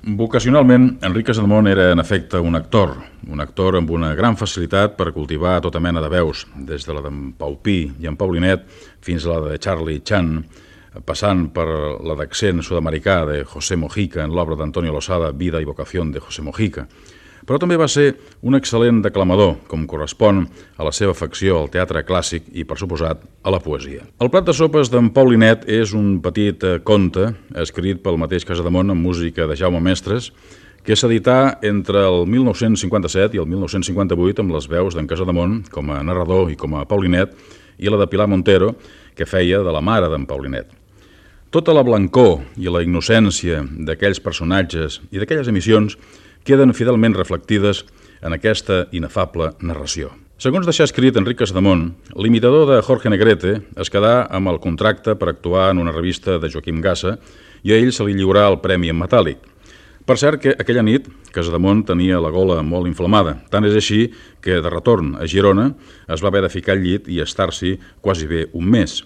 Vocacionalment, Enric Casademont era, en efecte, un actor amb una gran facilitat per cultivar tota mena de veus, des de la d'en Pau Pi i en Paulinet fins a la de Charlie Chan, passant per la d'accent sud-americà de José Mojica en l'obra d'Antonio Losada, Vida y vocación de José Mojica. Però també va ser un excel·lent declamador, com correspon a la seva afecció al teatre clàssic i, per suposat, a la poesia. El plat de sopes d'en Paulinet és un petit conte escrit pel mateix Casademont amb música de Jaume Mestres, que s'edità entre el 1957 i el 1958 amb les veus d'en Casademont com a narrador i com a Paulinet i la de Pilar Montero, que feia de la mare d'en Paulinet. Tota la blancor i la innocència d'aquells personatges i d'aquelles emissions queden fidelment reflectides en aquesta inefable narració. Segons deixà escrit Enric Casademont, l'imitador de Jorge Negrete es quedà amb el contracte per actuar en una revista de Joaquim Gassa i a ell se li lliurà el premi en metàl·lic. Per cert que aquella nit Casademont tenia la gola molt inflamada, tant és així que de retorn a Girona es va haver de ficar al llit i estar-s'hi quasi bé un mes.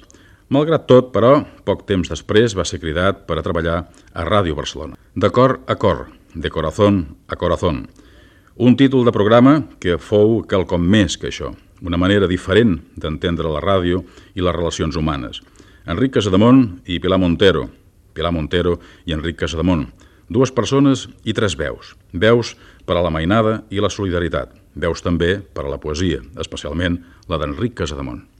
Malgrat tot, però, poc temps després va ser cridat per a treballar a Ràdio Barcelona. De cor a cor, de corazón a corazón. Un títol de programa que fou quelcom més que això, una manera diferent d'entendre la ràdio i les relacions humanes. Enric Casademont i Pilar Montero i Enric Casademont, dues persones i tres veus. Veus per a la mainada i la solidaritat, veus també per a la poesia, especialment la d'Enric Casademont.